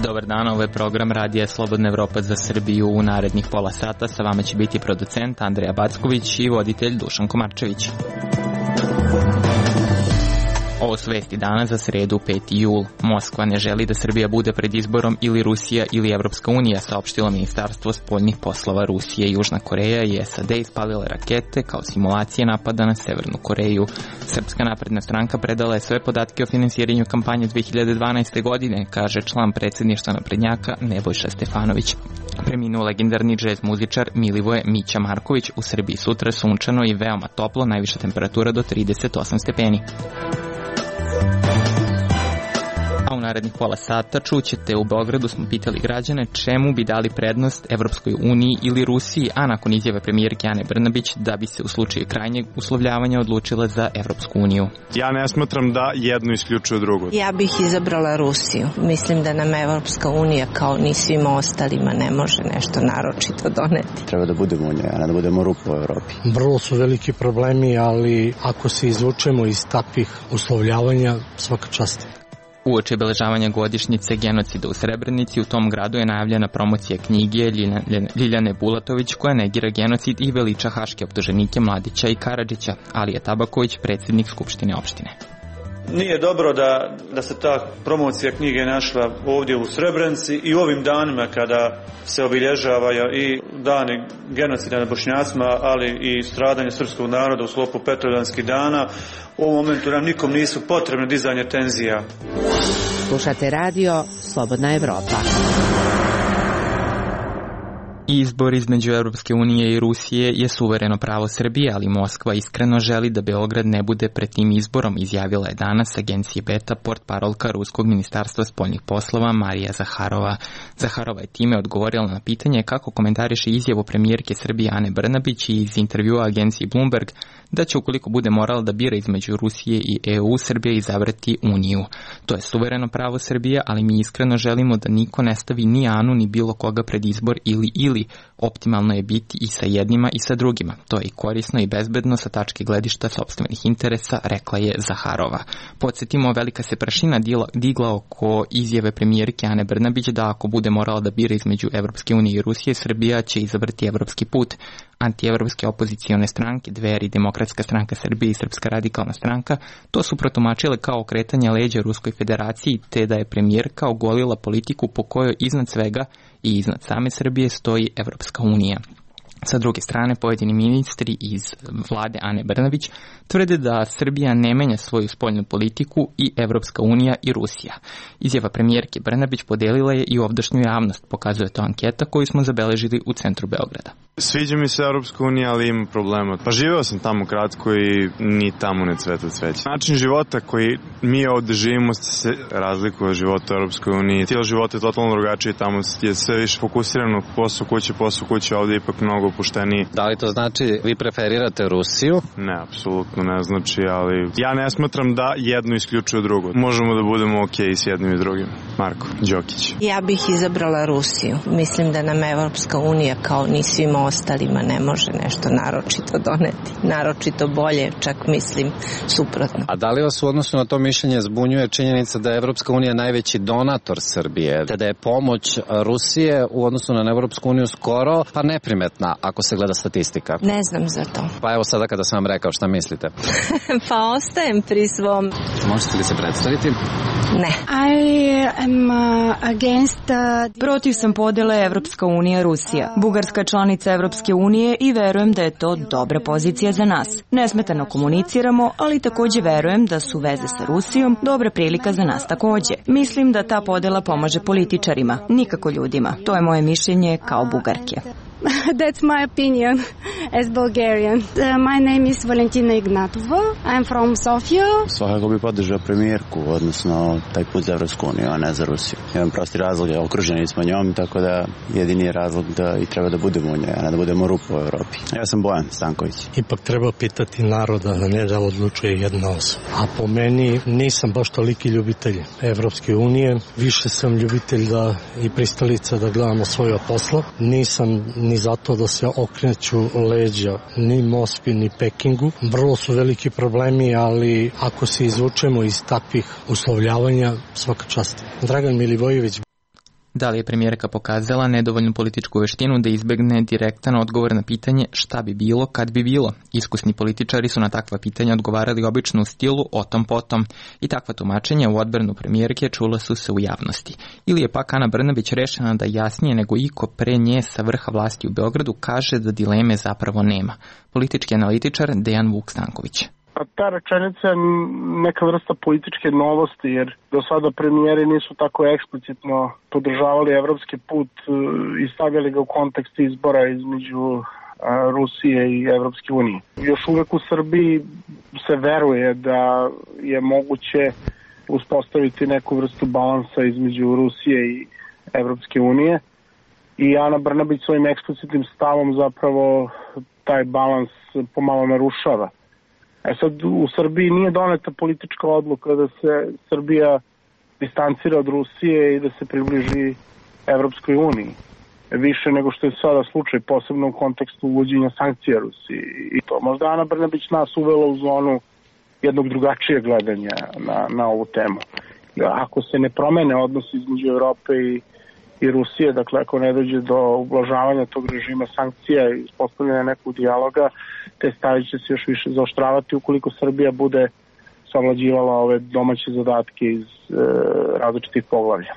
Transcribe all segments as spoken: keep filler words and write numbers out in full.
Dobar dan, ovo je program Radija Slobodna Evropa za Srbiju. U narednih pola sata sa vama će biti producent Andreja Backović i voditelj Dušan Komarčević. Ovo su vesti dana za sredu peti jul. Moskva ne želi da Srbija bude pred izborom ili Rusija ili Evropska unija, saopštilo Ministarstvo spoljnih poslova Rusije. Južna Koreja i S A D ispalile rakete kao simulacije napada na Severnu Koreju. Srpska napredna stranka predala je sve podatke o finansiranju kampanje dve hiljade dvanaeste. godine, kaže član predsjedništva naprednjaka Nebojša Stefanović. Preminuo legendarni džez muzičar Milivoje Mića Marković. U Srbiji sutra sunčano i veoma toplo, najviša temperatura do trideset osam stepeni. A u narednih pola sata čućete, u Beogradu smo pitali građane čemu bi dali prednost Evropskoj uniji ili Rusiji, a nakon izjave premijerke Ane Brnabić da bi se u slučaju krajnjeg uslovljavanja odlučila za Evropsku uniju. Ja ne smatram da jedno isključuje drugo. Ja bih izabrala Rusiju. Mislim da nam Evropska unija kao ni svima ostalima ne može nešto naročito doneti. Treba da budemo unija, a ne da budemo rupa u Evropi. Vrlo su veliki problemi, ali ako se izvučemo iz takvih uslovljavanja, svaka čast. Uoči obeležavanja godišnjice genocida u Srebrenici, u tom gradu je najavljena promocija knjige Ljiljane Bulatović koja negira genocid i veliča haške optuženike Mladića i Karadžića. Alija Tabaković, predsjednik Skupštine opštine. Nije dobro da, da se ta promocija knjige našla ovdje u Srebrenici i u ovim danima kada se obilježavaju i dani genocida nad Bošnjacima, ali i stradanje srpskog naroda u sklopu Petrovdanskih dana. U ovom momentu nam nikom nisu potrebne dizanje tenzija. Slušate radio Slobodna Evropa. Izbor između Evropske unije i Rusije je suvereno pravo Srbije, ali Moskva iskreno želi da Beograd ne bude pred tim izborom, izjavila je danas agencije Beta portparolka Ruskog ministarstva spoljnih poslova Marija Zaharova. Zaharova je time odgovorila na pitanje kako komentariše izjavu premijerke Srbije Ane Brnabić i iz intervjua agenciji Bloomberg da će, ukoliko bude morala da bira između Rusije i E U, Srbija izabrati Uniju. To je suvereno pravo Srbije, ali mi iskreno želimo da niko ne stavi ni Anu ni bilo koga pred izbor ili ili. Optimalno je biti i sa jednima i sa drugima. To je i korisno i bezbedno sa tačke gledišta sopstvenih interesa, rekla je Zaharova. Podsjetimo, velika se prašina digla oko izjave premijerke Ane Brnabić da ako bude morala da bira između Evropske unije i Rusije, Srbija će izabrati evropski put. Antievropske opozicione stranke, Dveri, Demokratska stranka Srbije i Srpska radikalna stranka, to su protumačile kao okretanje leđa Ruskoj federaciji, te da je premijerka ogolila politiku po kojoj iznad svega i iznad same Srbije stoji Evropska unija. Sa druge strane, pojedini ministri iz vlade Ane Brnabić tvrde da Srbija ne menja svoju spoljnu politiku i Evropska unija i Rusija. Izjava premijerke Brnabić podelila je i ovdašnju javnost, pokazuje to anketa koju smo zabeležili u centru Beograda. Sviđa mi se Evropska unija, ali ima problema. Pa živeo sam tamo kratko i ni tamo ne cveta cveće. Način života koji mi ovde živimo se razlikuje od života u Evropskoj uniji. Stil života je totalno drugačiji, tamo je sve više fokusirano posao kuće, posao kuće, ovde je ipak mnogo opušteniji. Da li to znači vi preferirate Rusiju? Ne, apsolutno ne znači, ali ja ne smatram da jedno isključuje drugo. Možemo da budemo okej s jednim i drugim. Marko Đokić. Ja bih izabrala Rusiju. Mislim da nam Evropska unija kao ni svima ostalima ne može nešto naročito doneti. Naročito bolje, čak mislim suprotno. A da li vas u odnosu na to mišljenje zbunjuje činjenica da je Evropska unija najveći donator Srbije, te da je pomoć Rusije u odnosu na Evropsku uniju skoro pa neprimetna ako se gleda statistika? Ne znam za to. Pa evo sada kada sam vam rekao, šta mislite? Pa ostajem pri svom. Možete li se predstaviti? Ne. I am uh, against uh, Protiv sam podele Evropska unija Rusija. Bugarska članica Evropske unije i verujem da je to dobra pozicija za nas. Nesmetano komuniciramo, ali takođe verujem da su veze sa Rusijom dobra prilika za nas takođe. Mislim da ta podela pomaže političarima, nikako ljudima. To je moje mišljenje kao Bugarke. That's my opinion as Bulgarian. Uh, my name is Valentina Ignatova. I'm from Sofia. Svakako bi podržao premijerku, odnosno taj put za Evropsku uniju, a ne za Rusiju. Imam prosti razlog, je okruženi smo njom, tako da jedini je razlog da i treba da budemo u njoj, a ne da budemo rupa u Evropi. Ja sam Bojan Stanković. Ipak treba pitati naroda, a ne da odlučuje jedna osoba. A po meni nisam baš toliki ljubitelj Evropske unije, više sam ljubitelj da i pristalica da gledamo svoje posla. Nisam ni zato da se okreću leđa ni Moskvi ni Pekingu. Vrlo su veliki problemi, ali ako se izvučemo iz takvih uslovljavanja, svaka čast. Dragan Milivojević. Da li je premijerka pokazala nedovoljnu političku veštinu da izbegne direktan odgovor na pitanje šta bi bilo kad bi bilo? Iskusni političari su na takva pitanja odgovarali obično u stilu o tom potom i takva tumačenja u odbranu premijerke čula su se u javnosti. Ili je pak Ana Brnabić rešena da jasnije nego iko pre nje sa vrha vlasti u Beogradu kaže da dileme zapravo nema. Politički analitičar Dejan Vuk Stanković. A ta rečenica je neka vrsta političke novosti, jer do sada premijeri nisu tako eksplicitno podržavali evropski put i stavljali ga u kontekst izbora između Rusije i Evropske unije. Još uvek u Srbiji se veruje da je moguće uspostaviti neku vrstu balansa između Rusije i Evropske unije i Ana Brnabić svojim eksplicitnim stavom zapravo taj balans pomalo narušava. E sad, u Srbiji nije doneta politička odluka da se Srbija distancira od Rusije i da se približi Evropskoj uniji. Više nego što je sada slučaj, posebno u kontekstu uvođenja sankcija Rusiji. I to možda Ana Brnabić nas uvela u zonu jednog drugačijeg gledanja na, na ovu temu. Ako se ne promene odnosi između Evrope i, i Rusije, dakle ako ne dođe do ublažavanja tog režima sankcija i uspostavljanja nekog dijaloga, te stavi će se još više zaoštravati ukoliko Srbija bude savlađivala ove domaće zadatke iz e, različitih poglavlja.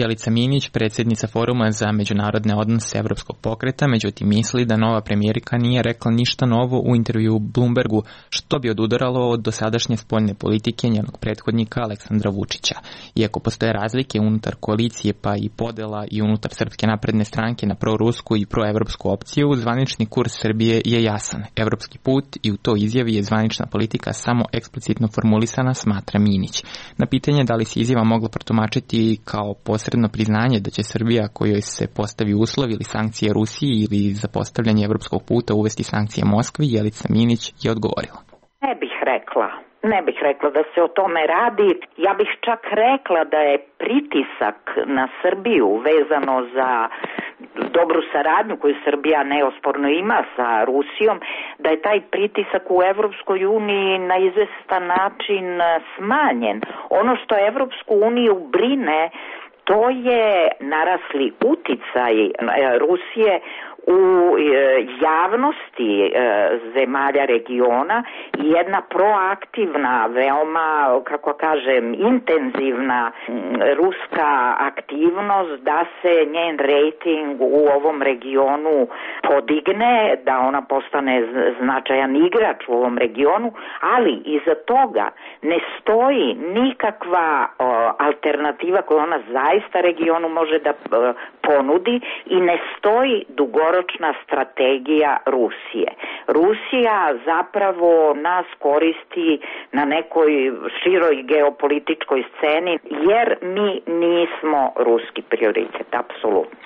Jelica Minić, predsjednica Foruma za međunarodne odnose Evropskog pokreta, međutim misli da nova premijerka nije rekla ništa novo u intervju Bloombergu, što bi odudaralo od dosadašnje spoljne politike njenog prethodnika Aleksandra Vučića. Iako postoje razlike unutar koalicije pa i podela i unutar Srpske napredne stranke na prorusku i proevropsku opciju, zvanični kurs Srbije je jasan. Evropski put i u toj izjavi je zvanična politika samo eksplicitno formulisana, smatra Minić. Na pitanje da li se izjava mogla protumačiti kao posredno priznanje da će Srbija kojoj se postavi uslov ili sankcije Rusiji ili za postavljanje evropskog puta uvesti sankcije Moskvi, Jelica Minić je odgovorila. Ne bih rekla. Ne bih rekla da se o tome radi. Ja bih čak rekla da je pritisak na Srbiju vezano za dobru saradnju koju Srbija neosporno ima sa Rusijom, da je taj pritisak u Evropskoj uniji na izvestan način smanjen. Ono što Evropsku uniju brine, to je narasli uticaj Rusije u javnosti zemalja regiona i jedna proaktivna, veoma, kako kažem, intenzivna ruska aktivnost da se njen rejting u ovom regionu podigne, da ona postane značajan igrač u ovom regionu, ali iza toga ne stoji nikakva alternativa koju ona zaista regionu može da ponudi i ne stoji dugoročna strategija Rusije. Rusija zapravo nas koristi na nekoj široj geopolitičkoj sceni jer mi nismo ruski prioritet, apsolutno.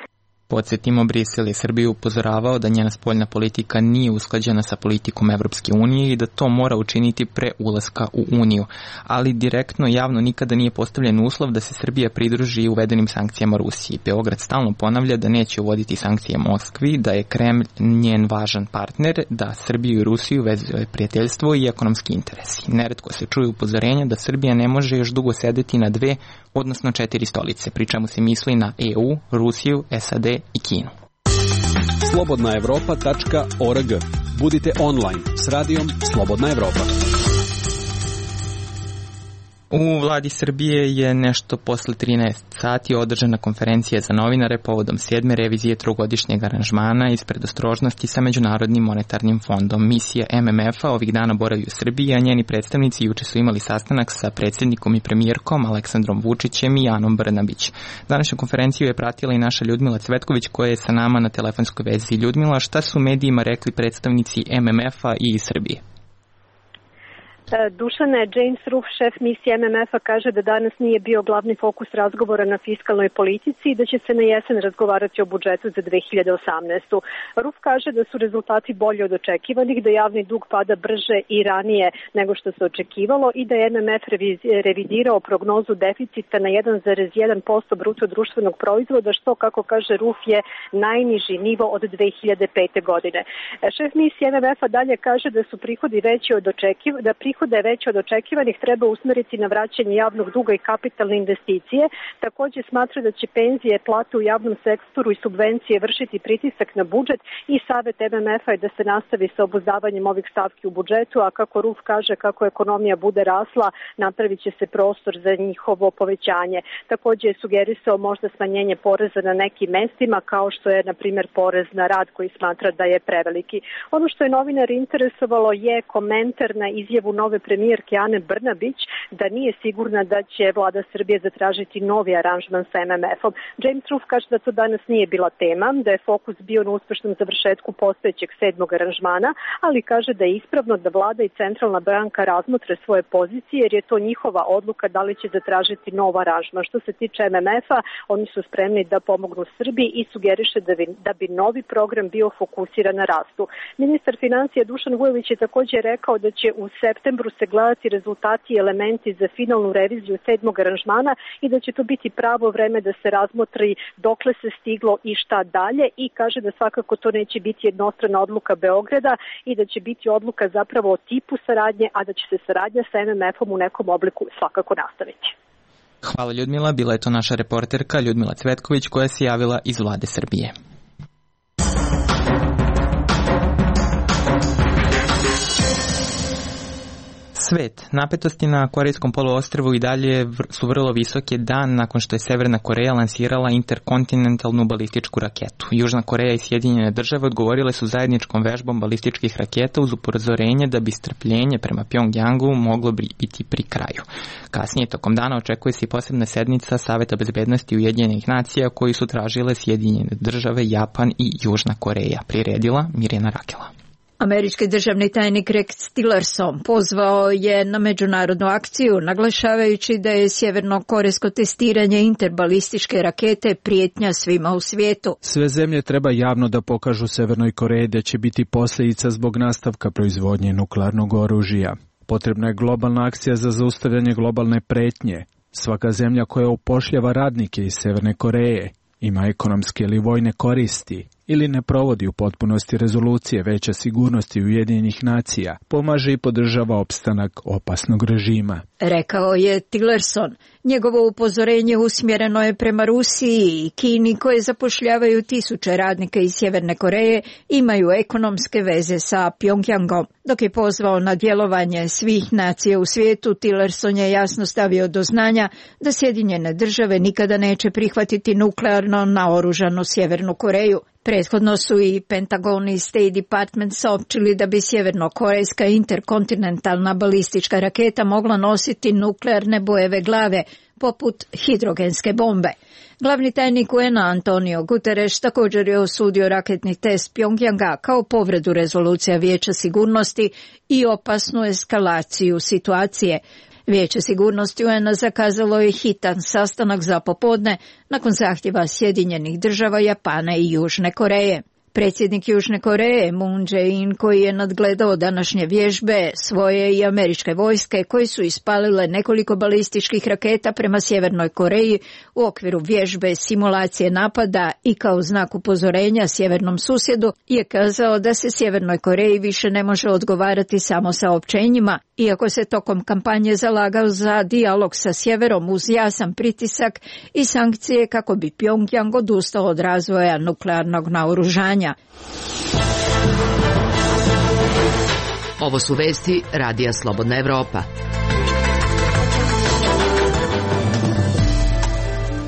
Podsjetimo, Brisel je Srbiju upozoravao da njena spoljna politika nije usklađena sa politikom Evropske unije i da to mora učiniti pre ulaska u Uniju, ali direktno javno nikada nije postavljen uslov da se Srbija pridruži uvedenim sankcijama Rusiji. Beograd stalno ponavlja da neće uvoditi sankcije Moskvi, da je Kremlj njen važan partner, da Srbiju i Rusiju vezuje prijateljstvo i ekonomski interesi. Neretko se čuje upozorenja da Srbija ne može još dugo sedeti na dve, odnosno četiri stolice, pri čemu se misli na E U, Rusiju, S A D i Kinu. slobodna evropa tačka org. Budite online s radijom Slobodna Evropa. U vladi Srbije je nešto posle trinaest sati održana konferencija za novinare povodom sedme revizije trogodišnjeg aranžmana iz predostrožnosti sa Međunarodnim monetarnim fondom. Misija M M F-a ovih dana boravi u Srbiji, a njeni predstavnici juče su imali sastanak sa predsjednikom i premijerkom Aleksandrom Vučićem i Anom Brnabić. Današnju konferenciju je pratila i naša Ljudmila Cvetković koja je sa nama na telefonskoj vezi. Ljudmila, šta su medijima rekli predstavnici M M F-a i iz Srbije? Dušane, James Ruff, šef misije M M F-a, kaže da danas nije bio glavni fokus razgovora na fiskalnoj politici i da će se na jesen razgovarati o budžetu za dve hiljade osamnaestu. Ruff kaže da su rezultati bolji od očekivanih, da javni dug pada brže i ranije nego što se očekivalo i da je M M F revidirao prognozu deficita na jedan zarez jedan posto bruto društvenog proizvoda, što, kako kaže Ruff, je najniži nivo od dve hiljade pete. godine. Šef misije M M F-a dalje kaže da su prihodi veći od očekivanih, da prihodi da je veće od očekivanih treba usmeriti na vraćanje javnog duga i kapitalne investicije. Također smatra da će penzije, plate u javnom sektoru i subvencije vršiti pritisak na budžet i savjet M M F-a je da se nastavi sa obuzdavanjem ovih stavki u budžetu, a kako Ruff kaže, kako ekonomija bude rasla, napravit će se prostor za njihovo povećanje. Također je sugerisao možda smanjenje poreza na nekim mestima, kao što je, na primjer, porez na rad koji smatra da je preveliki. Ono što je novinar interesovalo je komentar na izjavu nove premijerke Ane Brnabić da nije sigurna da će vlada Srbije zatražiti novi aranžman sa M M F-om. James Ruff kaže da to danas nije bila tema, da je fokus bio na uspešnom završetku postojećeg sedmog aranžmana, ali kaže da je ispravno da vlada i centralna banka razmotre svoje pozicije jer je to njihova odluka da li će zatražiti nov aranžman. Što se tiče M M F-a, oni su spremni da pomognu Srbiji i sugeriše da bi, da bi novi program bio fokusiran na rastu. Ministar financija Dušan Vujović je također rekao da će u septembru se gledati rezultati i elementi za finalnu reviziju sedmog aranžmana i da će to biti pravo vreme da se razmotri dokle se stiglo i šta dalje i kaže da svakako to neće biti jednostrana odluka Beograda i da će biti odluka zapravo o tipu saradnje, a da će se saradnja sa M M F-om u nekom obliku svakako nastaviti. Hvala Ljudmila, bila je to naša reporterka Ljudmila Cvetković koja se javila iz vlade Srbije. Svet. Napetosti na Korejskom poluostrvu i dalje su vrlo visoke dan nakon što je Severna Koreja lansirala interkontinentalnu balističku raketu. Južna Koreja i Sjedinjene države odgovorile su zajedničkom vežbom balističkih raketa uz upozorenje da bi strpljenje prema Pjongjangu moglo biti pri kraju. Kasnije tokom dana očekuje se i posebna sednica Saveta bezbednosti Ujedinjenih nacija koji su tražile Sjedinjene države, Japan i Južna Koreja. Priredila Mirjana Rakela. Američki državni tajnik Rex Tillerson pozvao je na međunarodnu akciju, naglašavajući da je sjeverno-korejsko testiranje interbalističke rakete prijetnja svima u svijetu. Sve zemlje treba javno da pokažu Severnoj Koreji da će biti posljedica zbog nastavka proizvodnje nuklearnog oružja. Potrebna je globalna akcija za zaustavljanje globalne pretnje. Svaka zemlja koja upošljava radnike iz Severne Koreje ima ekonomske ili vojne koristi ili ne provodi u potpunosti rezolucije Veća sigurnosti Ujedinjenih nacija, pomaže i podržava opstanak opasnog režima. Rekao je Tillerson. Njegovo upozorenje usmjereno je prema Rusiji i Kini koje zapošljavaju tisuće radnika iz Sjeverne Koreje, imaju ekonomske veze sa Pjongjangom. Dok je pozvao na djelovanje svih nacija u svijetu, Tillerson je jasno stavio do znanja da Sjedinjene države nikada neće prihvatiti nuklearno naoružanu Sjevernu Koreju. Prethodno su i Pentagon i State Department saopćili da bi sjevernokorejska interkontinentalna balistička raketa mogla nositi nuklearne bojeve glave, poput hidrogenske bombe. Glavni tajnik U N-a Antonio Guterres također je osudio raketni test Pjongjanga kao povredu rezolucija Vijeća sigurnosti i opasnu eskalaciju situacije. Vijeće sigurnosti U N-a zakazalo je hitan sastanak za popodne nakon zahtjeva Sjedinjenih država, Japana i Južne Koreje. Predsjednik Južne Koreje Moon Jae-in, koji je nadgledao današnje vježbe svoje i američke vojske koji su ispalile nekoliko balističkih raketa prema Sjevernoj Koreji u okviru vježbe simulacije napada i kao znak upozorenja sjevernom susjedu, je kazao da se Sjevernoj Koreji više ne može odgovarati samo saopćenjima, iako se tokom kampanje zalagao za dijalog sa sjeverom uz jasan pritisak i sankcije kako bi Pjongjang odustao od razvoja nuklearnog naoružanja. Ovo su vesti Radija Slobodna Evropa.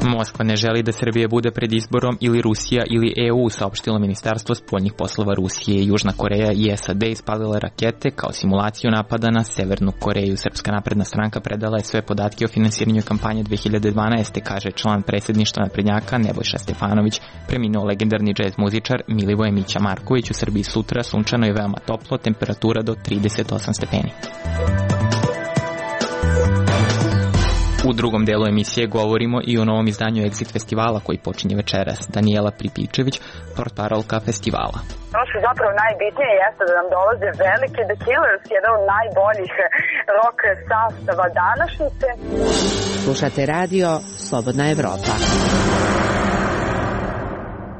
Moskva ne želi da Srbija bude pred izborom ili Rusija ili E U, saopštilo Ministarstvo spoljnih poslova Rusije. Južna Koreja i S A D ispalile rakete kao simulaciju napada na Severnu Koreju. Srpska napredna stranka predala je sve podatke o finansiranju kampanje dve hiljade dvanaeste. kaže član predsjedništva naprednjaka Nebojša Stefanović. Preminuo legendarni džez muzičar Milivoje Mića Marković. U Srbiji sutra sunčano i veoma toplo, temperatura do trideset osam stepeni. U drugom delu emisije govorimo i o novom izdanju Exit festivala koji počinje večeras. Danijela Pripičević, portparolka festivala. Ono što je zapravo najbitnije jeste da nam dolaze veliki The Killers, jedan od najboljih rock sastava današnjice. Slušate radio Slobodna Evropa.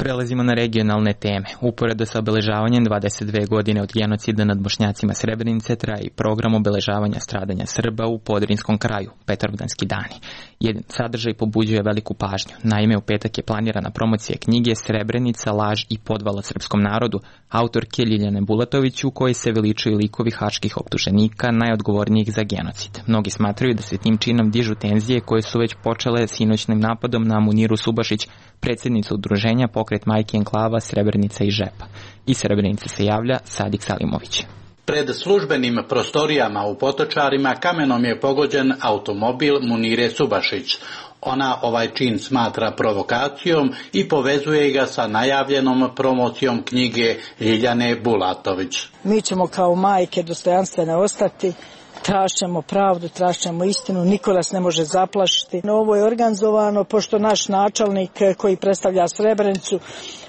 Prelazimo na regionalne teme. Uporedo sa obeležavanjem dvadeset dve godine od genocida nad Bošnjacima Srebrenice traje i program obeležavanja stradanja Srba u Podrinskom kraju, Petrovdanski dani. Jedan sadržaj pobuđuje veliku pažnju. Naime, u petak je planirana promocija knjige Srebrenica, laž i podvala srpskom narodu, autorke Ljiljane Bulatović, u kojoj se veličuju likovi haških optuženika najodgovornijih za genocid. Mnogi smatraju da se tim činom dižu tenzije koje su već počele sinoćnim napadom na Muniru Subašić, predsjednicu udruženja Pokret majke enklava Srebrenica i Žepa. Iz Srebrenice se javlja Sadik Salimović. Pred službenim prostorijama u Potočarima kamenom je pogođen automobil Munire Subašić. Ona ovaj čin smatra provokacijom i povezuje ga sa najavljenom promocijom knjige Ljiljane Bulatović. Mi ćemo kao majke dostojanstvene ostati. Tražimo pravdu, tražimo istinu, niko nas ne može zaplašiti. Ovo je organizovano pošto naš načelnik koji predstavlja Srebrenicu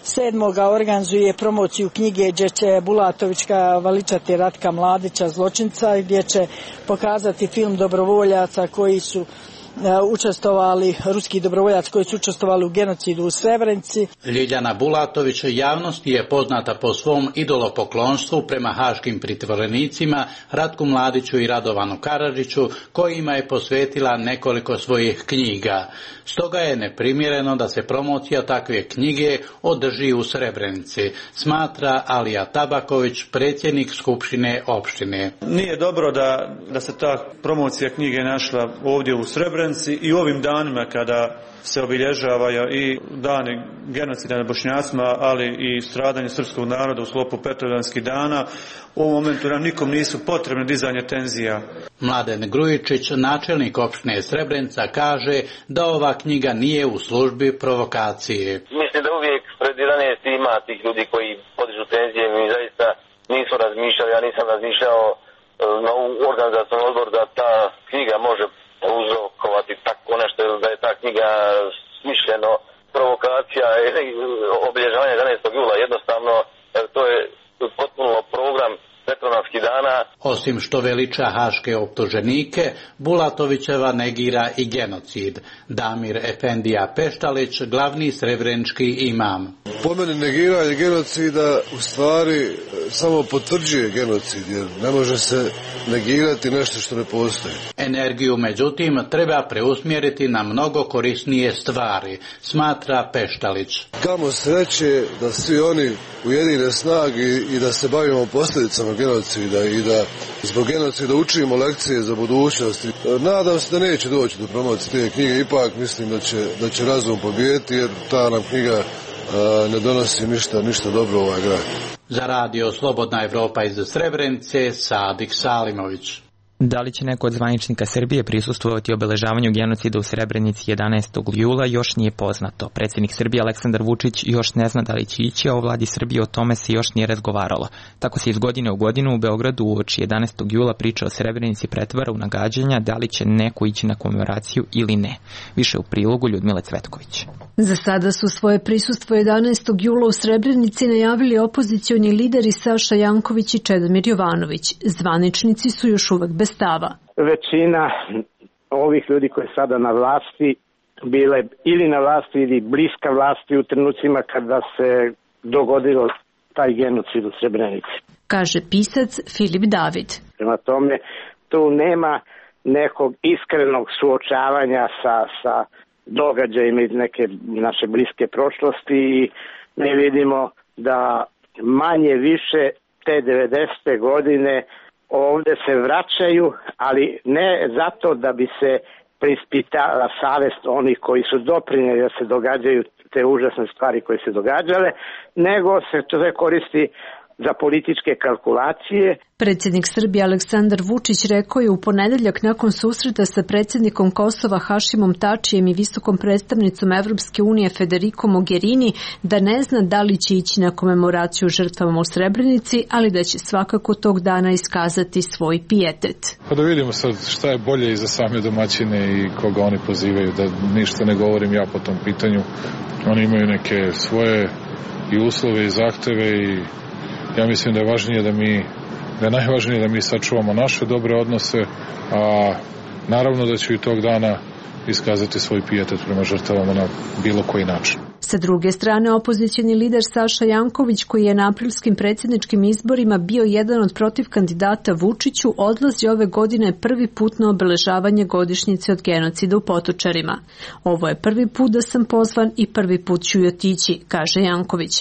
sedmoga organizuje promociju knjige gdje će Bulatovićka veličati Ratka Mladića, zločinca, gdje će pokazati film dobrovoljaca koji su učestvovali, ruski dobrovoljac koji su učestvovali u genocidu u Srebrenici. Ljiljana Bulatović javnosti je poznata po svom idolopoklonstvu prema haškim pritvorenicima Ratku Mladiću i Radovanu Karadžiću, kojima je posvetila nekoliko svojih knjiga. Stoga je neprimjereno da se promocija takve knjige održi u Srebrenici, smatra Alija Tabaković, predsjednik Skupštine opštine. Nije dobro da, da se ta promocija knjige našla ovdje u Srebrenici i u ovim danima kada se obilježavaju i dani genocida nad Bošnjacima, ali i stradanje srpskog naroda u sklopu Petrovdanskih dana. U ovom momentu nam nikom nisu potrebne dizanje tenzija. Mladen Grujičić, načelnik opštine Srebrenica, kaže da ova knjiga nije u službi provokacije. Mislim da uvijek pred jedanaest ima tih ljudi koji podižu tenzije, mi zaista nisu razmišljali, ja nisam razmišljao na organizacijom odbor da ta knjiga može uzrokovati tako nešto, da je ta knjiga smišljeno provokacija obilježavanja jedanaestog jula. Jednostavno to je potpuno program Petrovdanskih dana. Osim što veliča haške optuženike, Bulatovićeva negira i genocid. Damir Efendija Peštalić, glavni srebrenički imam. Po meni negiranje genocida u stvari samo potvrđuje genocid, jer ne može se negirati nešto što ne postoji. Energiju, međutim, treba preusmjeriti na mnogo korisnije stvari, smatra Peštalić. Kamo sreće da svi oni ujedine snage i da se bavimo posljedicama genocida i da zbog genocida učimo lekcije za budućnost. Nadam se da neće doći do promocije te knjige, ipak mislim da će, da će razum pobijediti, jer ta nam knjiga a, ne donosi ništa, ništa dobro u ovaj grad. Za radio Slobodna Evropa iz Srebrenice, Sadik Salimović. Da li će neko od zvaničnika Srbije prisustvovati obeležavanju genocida u Srebrenici jedanaestog jula još nije poznato. Predsjednik Srbije Aleksandar Vučić još ne zna da li će ići, a o vladi Srbije o tome se još nije razgovaralo. Tako se iz godine u godinu u Beogradu uoči jedanaestog jula priča o Srebrenici pretvara u nagađanja da li će neko ići na komemoraciju ili ne. Više u prilogu Ljudmile Cvetković. Za sada su svoje prisustvo jedanaestog jula u Srebrenici najavili opozicioni lideri Saša Janković i Čedomir Jovanović. Zvaničnici su još uvek bez stava. Većina ovih ljudi koji je sada na vlasti bile ili na vlasti ili bliska vlasti u trenucima kada se dogodilo taj genocid u Srebrenici. Kaže pisac Filip David. Prema tome, tu nema nekog iskrenog suočavanja sa, sa događajima iz neke naše bliske prošlosti i mi vidimo da manje više te devedesete godine ovdje se vraćaju, ali ne zato da bi se preispitala savest onih koji su doprineli da se događaju te užasne stvari koje se događale, nego se to koristi za političke kalkulacije. Predsjednik Srbije Aleksandar Vučić rekao je u ponedeljak nakon susreta sa predsjednikom Kosova Hašimom Tačijem i visokom predstavnicom Evropske unije Federico Mogherini da ne zna da li će ići na komemoraciju žrtvama u Srebrenici, ali da će svakako tog dana iskazati svoj pijetet. Pa da vidimo sad šta je bolje i za same domaćine i koga oni pozivaju, da ništa ne govorim ja po tom pitanju. Oni imaju neke svoje i uslove i zahteve i ja mislim da je važnije da mi, da je najvažnije da mi sačuvamo naše dobre odnose, a naravno da ću i tog dana iskazati svoj pijetet prema žrtvama na bilo koji način. Sa druge strane, opozicioni lider Saša Janković, koji je na aprilskim predsjedničkim izborima bio jedan od protiv kandidata Vučiću, odlazi ove godine prvi put na obeležavanje godišnjice od genocida u Potočarima. Ovo je prvi put da sam pozvan i prvi put ću i otići, kaže Janković.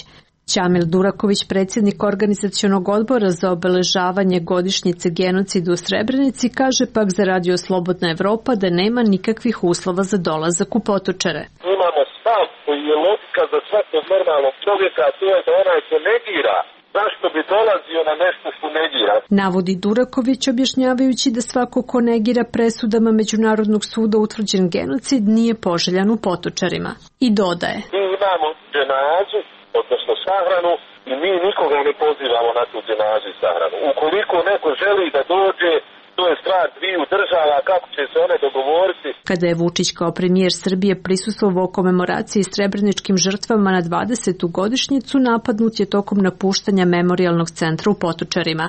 Ćamil Duraković, predsjednik organizacionog odbora za obeležavanje godišnjice genocida u Srebrenici, kaže pak za Radio Slobodna Evropa da nema nikakvih uslova za dolazak u Potočare. Imamo stav koji je logika za svakog normalnog čovjeka, a to je da onaj ko negira, zašto bi dolazio na nešto što negira? Navodi Duraković, objašnjavajući da svako ko negira presudama Međunarodnog suda utvrđen genocid nije poželjan u Potočarima. I dodaje. Mi imamo dženazu, odnosno sahranu, i mi nikoga ne pozivamo na tu dženazu i sahranu. Ukoliko neko želi da dođe, to je stvar dviju država, kako će se one dogovoriti. Kada je Vučić kao premijer Srbije prisustvovao komemoraciji srebreničkim žrtvama na dvadesetu godišnjicu, napadnut je tokom napuštanja memorijalnog centra u Potočarima.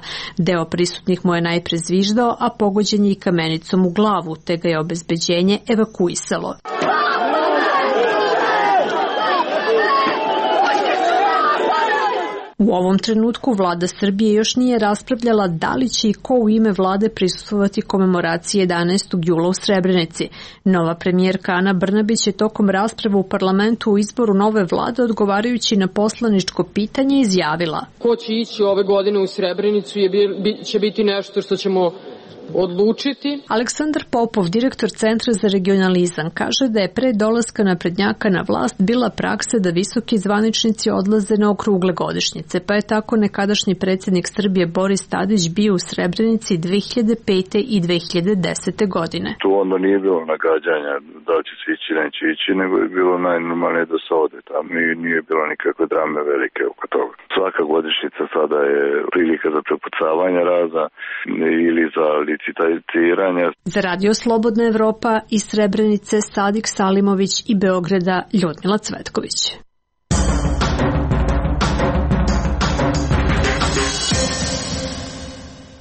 Deo prisutnih mu je najpre zviždao, a pogođen je i kamenicom u glavu, te ga je obezbeđenje evakuisalo. U ovom trenutku vlada Srbije još nije raspravljala da li će i ko u ime vlade prisustvovati komemoraciji jedanaestog jula u Srebrenici. Nova premijerka Ana Brnabić je tokom rasprave u parlamentu u izboru nove vlade odgovarajući na poslaničko pitanje izjavila: Ko će ići ove godine u Srebrenicu je, će biti nešto što ćemo odlučiti. Aleksandar Popov, direktor Centra za regionalizam, kaže da je pre dolaska naprednjaka na vlast bila praksa da visoki zvaničnici odlaze na okrugle godišnjice, pa je tako nekadašnji predsjednik Srbije Boris Tadić bio u Srebrenici dve hiljade pete i dve hiljade desete godine. Tu onda nije bilo nagađanja da će se ići, neće ići, nego je bilo najnormalnije da se ode tamo i nije bilo nikakve drame velike oko toga. Svaka godišnjica sada je prilika za prepucavanje razna ili za licitiranje. Za Radio Slobodna Evropa iz Srebrenice Sadik Salimović i Beograda Ljudmila Cvetković.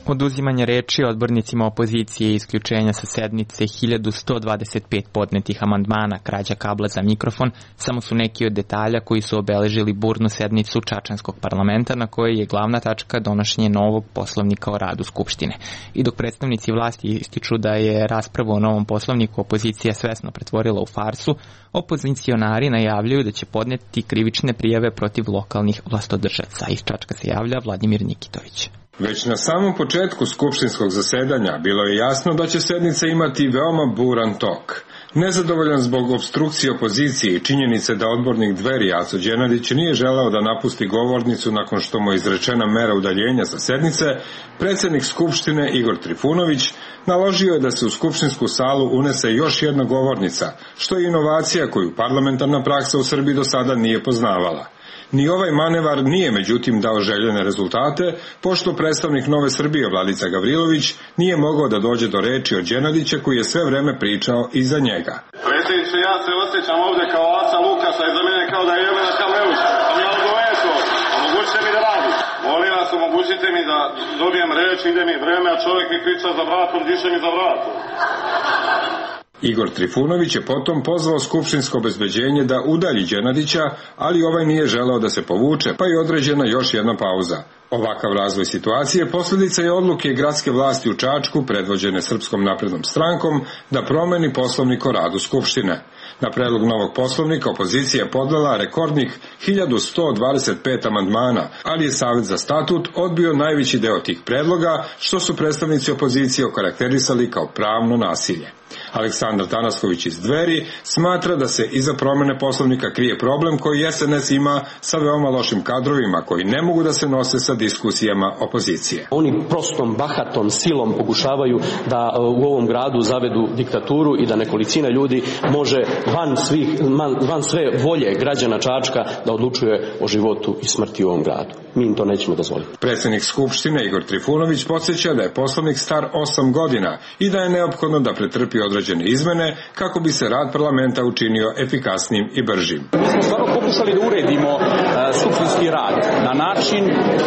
Oduzimanje reči odbornicima opozicije i isključenja sa sednice, hiljadu sto dvadeset pet podnetih amandmana, krađa kabla za mikrofon, samo su neki od detalja koji su obeležili burnu sednicu Čačanskog parlamenta na kojoj je glavna tačka donošenje novog poslovnika o radu Skupštine. I dok predstavnici vlasti ističu da je raspravu o novom poslovniku opozicija svesno pretvorila u farsu, opozicionari najavljuju da će podneti krivične prijave protiv lokalnih vlastodržaca. Iz Čačka se javlja Vladimir Nikitović. Već na samom početku skupštinskog zasedanja bilo je jasno da će sednica imati veoma buran tok. Nezadovoljan zbog opstrukcije opozicije i činjenice da odbornik Dveri Aco Đenadić nije želeo da napusti govornicu nakon što mu je izrečena mera udaljenja sa sednice, predsjednik Skupštine Igor Trifunović naložio je da se u skupštinsku salu unese još jedna govornica, što je inovacija koju parlamentarna praksa u Srbiji do sada nije poznavala. Ni ovaj manevar nije međutim dao željene rezultate, pošto predstavnik Nove Srbije Vladica Gavrilović nije mogao da dođe do reči od Đenadića koji je sve vreme pričao iza njega. Predsjedniče, ja se osjećam ovdje kao oca Lukasa i za mene kao da je Jelena Kamleuša. Sam ja odgoveću, omogućite mi da radim. Molim vas, omogućite mi da dobijem reč, ide mi vreme, a čovjek mi priča za vratom, diše mi za vratom. Igor Trifunović je potom pozvao skupštinsko obezbeđenje da udalji Đenadića, ali ovaj nije želeo da se povuče, pa je određena još jedna pauza. Ovakav razvoj situacije posljedica je odluke gradske vlasti u Čačku, predvođene Srpskom naprednom strankom, da promeni poslovnik o radu Skupštine. Na predlog novog poslovnika opozicija je podnela rekordnih hiljadu sto dvadeset pet amandmana, ali je Savet za statut odbio najveći deo tih predloga, što su predstavnici opozicije okarakterisali kao pravno nasilje. Aleksandar Tanasković iz Dveri smatra da se iza promene Poslovnika krije problem koji es en es ima sa veoma lošim kadrovima koji ne mogu da se nose sa diskusijama opozicije. Oni prostom, bahatom, silom pokušavaju da u ovom gradu zavedu diktaturu i da nekolicina ljudi može van, svih, van sve volje građana Čačka da odlučuje o životu i smrti u ovom gradu. Mi im to nećemo dozvoliti. Predsjednik Skupštine Igor Trifunović podsjeća da je Poslovnik star osam godina i da je neophodno da pretrpi određene izmene kako bi se rad parlamenta učinio efikasnim i bržim. Mi smo stvarno pokušali da uredimo uh, skupštinski rad na način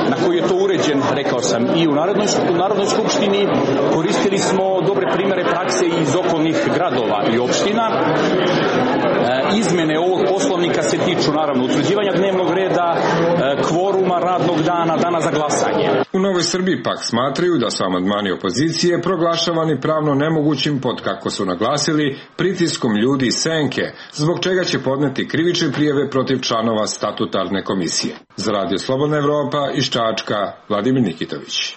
na koji je to uređen, rekao sam, i u Narodnoj, u Narodnoj skupštini. Koristili smo dobre primere prakse iz okolnih gradova i opština. Uh, izmene ovog Poslovnika se tiču naravno utvrđivanja dnevnog reda, uh, kvoruma, radnog dana, dana za glasanje. U Novoj Srbiji pak smatraju da su amandmani opozicije proglašavani pravno nemogućim pod, kako su naglasili, pritiskom ljudi iz senke, zbog čega će podneti krivične prijave protiv članova statutarne komisije. Za Radio Slobodna Evropa iz Čačka, Vladimir Nikitović.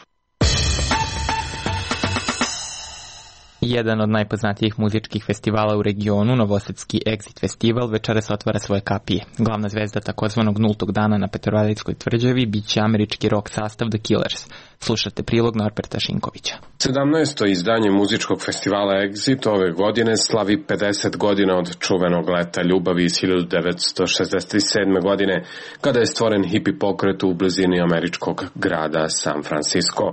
Jedan od najpoznatijih muzičkih festivala u regionu, novosadski Exit festival, večeras otvara svoje kapije. Glavna zvezda takozvanog nultog dana na Petrovaradinskoj tvrđavi biće američki rock sastav The Killers. Slušate prilog Norberta Šinkovića. sedamnaesto izdanje muzičkog festivala Exit ove godine slavi pedeset godina od čuvenog Leta ljubavi iz hiljadu devetsto šezdeset sedme. godine, kada je stvoren hipi pokret u blizini američkog grada San Francisco.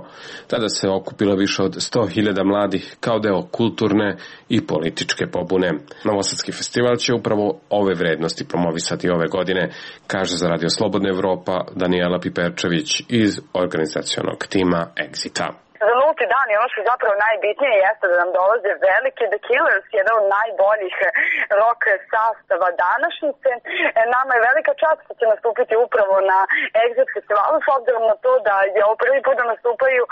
Tada se okupilo više od sto hiljada mladih kao deo kulturne i političke pobune. Novosadski festival će upravo ove vrednosti promovisati ove godine, kaže za Radio Slobodna Evropa Danijela Piperčević iz organizacionog tima Exita. Za nulti dan i ono što je zapravo najbitnije jeste da nam dolaze veliki The Killers, jedan od najboljih rock sastava današnjice. Nama je velika čast što će nastupiti upravo na Exit festivalu, s obzirom na to da je ovo prvi put da nastupaju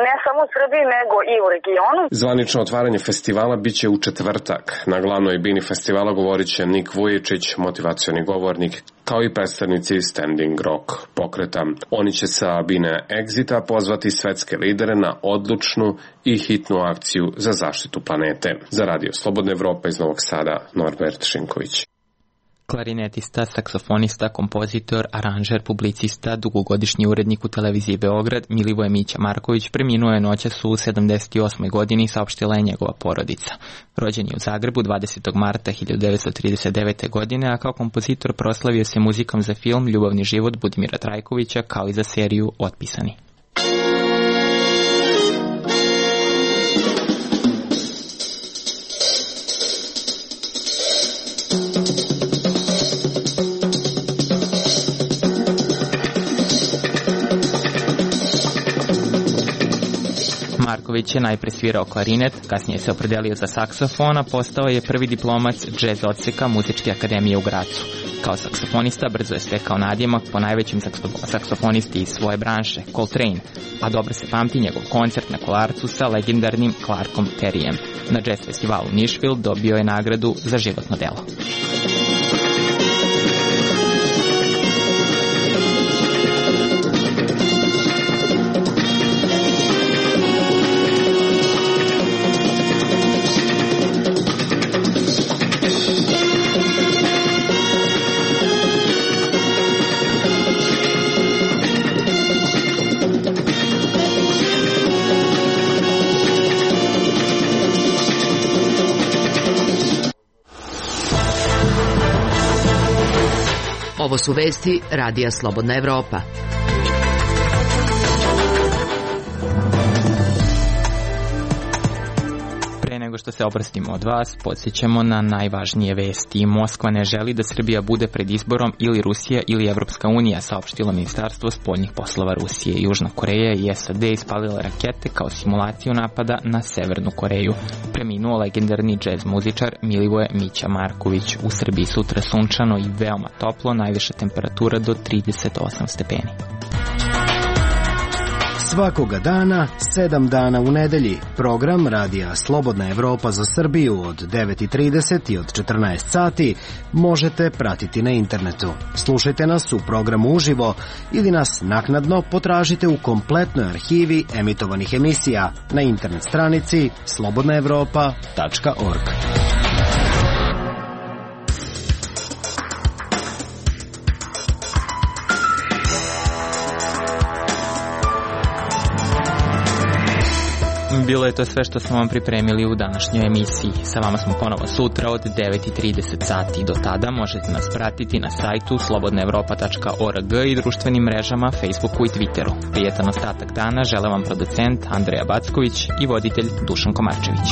ne samo u Srbiji, nego i u regionu. Zvanično otvaranje festivala biće u četvrtak. Na glavnoj bini festivala govorit će Nik Vujičić, motivacioni govornik, kao i predstavnici Standing Rock pokreta. Oni će sa bine Exita pozvati svetske lidere na odlučnu i hitnu akciju za zaštitu planete. Za Radio Slobodna Evropa iz Novog Sada, Norbert Šinković. Klarinetista, saksofonista, kompozitor, aranžer, publicista, dugogodišnji urednik u televiziji Beograd, Milivoje Mića Marković preminuo je noćas u sedamdeset osmoj. godini, saopštila je njegova porodica. Rođen je u Zagrebu dvadesetog marta hiljadu devetsto trideset devete. godine, a kao kompozitor proslavio se muzikom za film Ljubavni život Budimira Trajkovića, kao i za seriju Otpisani. Marković je najpre svirao klarinet, kasnije se opredelio za saksofon, a postao je prvi diplomac džez odseka Muzičke akademije u Gracu. Kao saksofonista brzo je stekao nadjemak po najvećim saksofonisti iz svoje branše, Coltrane, a dobro se pamti njegov koncert na Kolarcu sa legendarnim Clarkom Terryem. Na džez festivalu Nashville dobio je nagradu za životno delo. Ovo su vesti Radija Slobodna Evropa. Pre nego što se oprostimo od vas, podsjećamo na najvažnije vesti. Moskva ne želi da Srbija bude pred izborom ili Rusija ili Evropska unija, saopštilo Ministarstvo spoljnih poslova Rusije. Južna Koreja i es a de ispalile rakete kao simulaciju napada na Severnu Koreju. Preminuo legendarni džez muzičar Milivoje Mića Marković. U Srbiji sutra sunčano i veoma toplo, najviša temperatura do trideset osam stepeni. Svakoga dana, sedam dana u nedelji, program Radija Slobodna Evropa za Srbiju od devet i trideset i od četrnaest sati možete pratiti na internetu. Slušajte nas u programu uživo ili nas naknadno potražite u kompletnoj arhivi emitovanih emisija na internet stranici slobodna evropa tačka org. Bilo je to sve što smo vam pripremili u današnjoj emisiji. Sa vama smo ponovo sutra od devet i trideset sati. Do tada možete nas pratiti na sajtu slobodna evropa tačka org i društvenim mrežama Facebooku i Twitteru. Prijetan ostatak dana žele vam producent Andreja Backović i voditelj Dušan Komarčević.